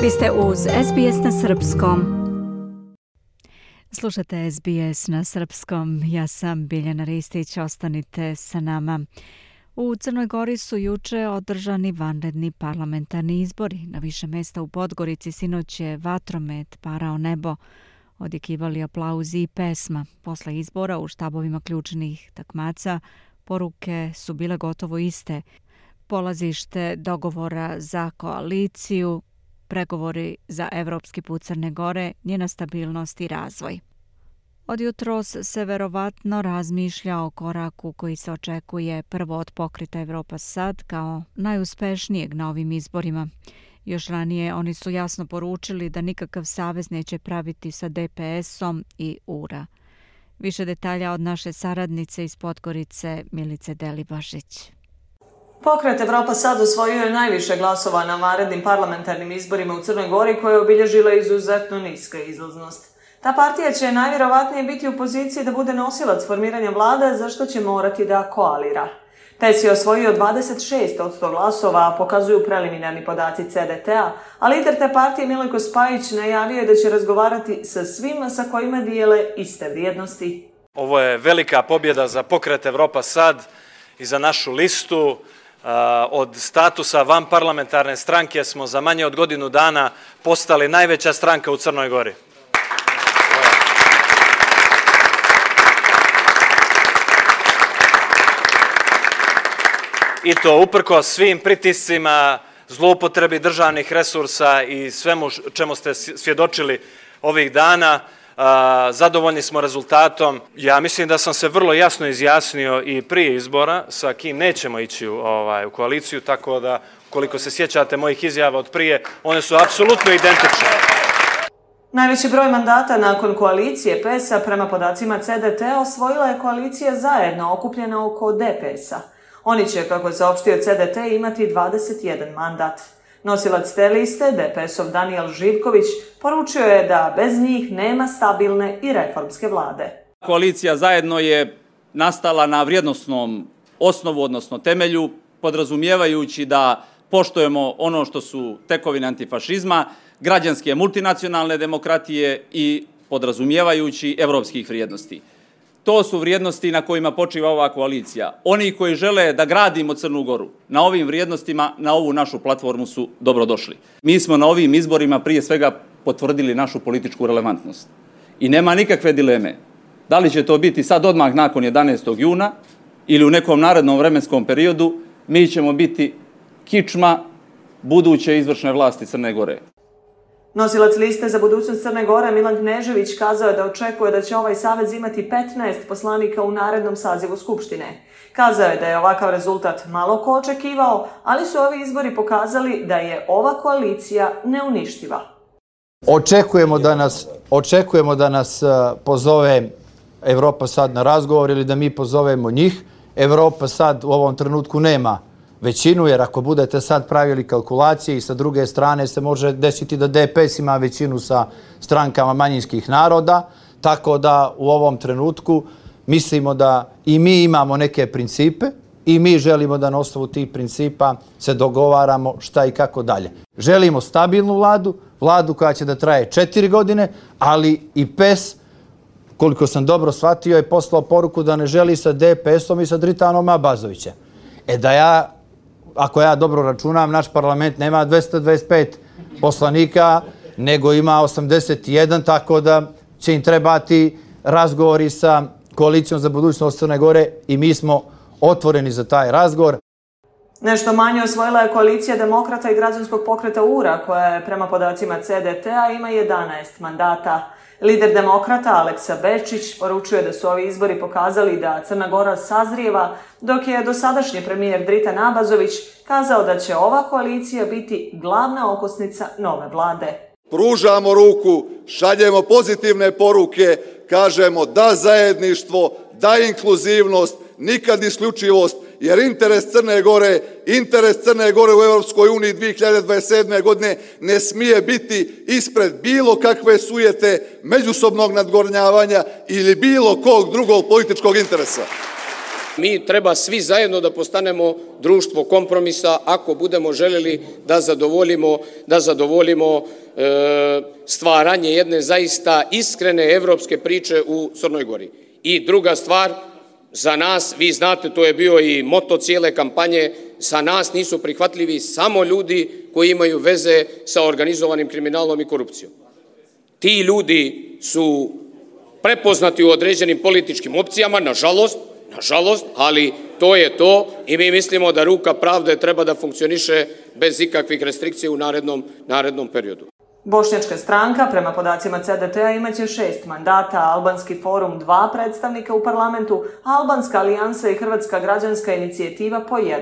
Vi ste uz SBS na srpskom. Slušate SBS na srpskom. Ja sam Biljana Ristić. Ostanite sa nama. U Crnoj Gori su juče održani vanredni parlamentarni izbori. Na više mesta u Podgorici sinoć je vatromet parao nebo. Odjekivali aplauzi i pesma. Posle izbora u štabovima ključnih takmaca poruke su bile gotovo iste. Polazište dogovora za koaliciju, pregovori za evropski put Crne Gore, njena stabilnost i razvoj. Od jutros se verovatno razmišlja o koraku koji se očekuje prvo od pokreta Evropa Sad kao najuspešnijeg na ovim izborima. Još ranije oni su jasno poručili da nikakav savez neće praviti sa DPS-om i URA. Više detalja od naše saradnice iz Podgorice Milice Delibašić. Pokret Evropa Sad osvojio je najviše glasova na vanrednim parlamentarnim izborima u Crnoj Gori koje je obilježila izuzetno niska izlaznost. Ta partija će najvjerovatnije biti u poziciji da bude nosilac formiranja vlade, za što će morati da koalira. PES je osvojio 26% glasova, a pokazuju preliminarni podaci CDT-a, a lider te partije Milojko Spajić najavio je da će razgovarati sa svima sa kojima dijele iste vrijednosti. Ovo je velika pobjeda za pokret Evropa Sad i za našu listu. Od statusa vanparlamentarne stranke smo za manje od godinu dana postali najveća stranka u Crnoj Gori. I to uprkos svim pritiscima, zloupotrebi državnih resursa i svemu čemu ste svjedočili ovih dana. Zadovoljni smo rezultatom. Ja mislim da sam se vrlo jasno izjasnio i prije izbora sa kim nećemo ići u koaliciju, tako da koliko se sjećate mojih izjava od prije, one su apsolutno identične. Najveći broj mandata nakon koalicije PES-a prema podacima CDT osvojila je koalicija Zajedno, okupljena oko DPS-a. Oni će, kako je saopštio CDT, imati 21 mandat. Nosilac te liste, DPS-ov Danijel Živković, poručio je da bez njih nema stabilne i reformske vlade. Koalicija Zajedno je nastala na vrijednosnom osnovu, odnosno temelju, podrazumijevajući da poštujemo ono što su tekovine antifašizma, građanske multinacionalne demokratije i podrazumijevajući evropskih vrijednosti. To su vrijednosti na kojima počiva ova koalicija. Oni koji žele da gradimo Crnu Goru na ovim vrijednostima, na ovu našu platformu su dobrodošli. Mi smo na ovim izborima prije svega potvrdili našu političku relevantnost. I nema nikakve dileme. Da li će to biti sad odmah nakon 11. juna ili u nekom narednom vremenskom periodu, mi ćemo biti kičma buduće izvršne vlasti Crne Gore. Nosilac liste za budućnost Crne Gore Milan Knežević kazao je da očekuje da će ovaj savez imati 15 poslanika u narednom sazivu Skupštine. Kazao je da je ovakav rezultat malo ko očekivao, ali su ovi izbori pokazali da je ova koalicija neuništiva. Očekujemo da nas pozove Evropa Sad na razgovor ili da mi pozovemo njih. Evropa Sad u ovom trenutku nema većinu, jer ako budete sad pravili kalkulacije i sa druge strane se može desiti da DPS ima većinu sa strankama manjinskih naroda, tako da u ovom trenutku mislimo da i mi imamo neke principe i mi želimo da na osnovu tih principa se dogovaramo šta i kako dalje. Želimo stabilnu vladu koja će da traje 4 godine, ali i PES, koliko sam dobro shvatio, je poslao poruku da ne želi sa DPS-om i sa Dritanom Abazovićem. Ako ja dobro računam, naš parlament nema 225 poslanika, nego ima 81, tako da će im trebati razgovori sa koalicijom za budućnost Crne Gore i mi smo otvoreni za taj razgovor. Nešto manje osvojila je koalicija Demokrata i građanskog pokreta URA, koja je prema podacima CDT-a ima 11 mandata. Lider Demokrata Aleksa Bečić poručuje da su ovi izbori pokazali da Crna Gora sazrijeva, dok je dosadašnji premijer Dritan Abazović kazao da će ova koalicija biti glavna okosnica nove vlade. Pružamo ruku, šaljemo pozitivne poruke, kažemo da zajedništvo, da inkluzivnost, nikad isključivost, jer interes Crne Gore u Europskoj uniji 2027. godine ne smije biti ispred bilo kakve sujete, međusobnog nadgornjavanja ili bilo kog drugog političkog interesa. Mi treba svi zajedno da postanemo društvo kompromisa ako budemo željeli da zadovoljimo stvaranje jedne zaista iskrene evropske priče u Crnoj Gori. I druga stvar, za nas, vi znate, to je bio i moto cijele kampanje, za nas nisu prihvatljivi samo ljudi koji imaju veze sa organizovanim kriminalom i korupcijom. Ti ljudi su prepoznati u određenim političkim opcijama, nažalost, ali to je to i mi mislimo da ruka pravde treba da funkcioniše bez ikakvih restrikcija u narednom periodu. Bošnjačka stranka, prema podacima CDT-a, imaće 6 mandata, Albanski forum 2 predstavnika u parlamentu, Albanska alijansa i Hrvatska građanska inicijativa po 1.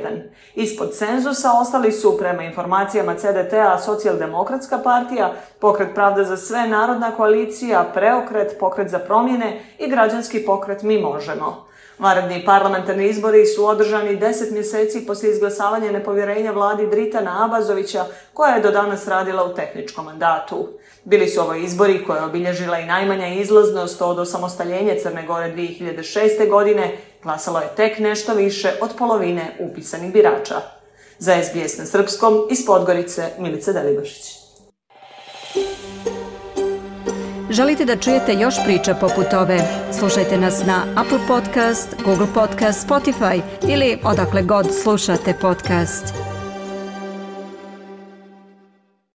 Ispod cenzusa ostali su, prema informacijama CDT-a, Socijaldemokratska partija, Pokret pravde za sve, Narodna koalicija, Preokret, Pokret za promjene i Građanski pokret Mi možemo. Vanredni parlamentarni izbori su održani 10 mjeseci poslije izglasavanja nepovjerenja vladi Dritana Abazovića, koja je do danas radila u tehničkom mandatu. Bili su ovo izbori koje je obilježila i najmanja izlaznost od osamostaljenja Crne Gore 2006. godine, glasalo je tek nešto više od polovine upisanih birača. Za SBS na srpskom, iz Podgorice, Milica Delibašić. Želite da čujete još priča poput ove? Slušajte nas na Apple Podcast, Google Podcast, Spotify ili odakle god slušate podcast.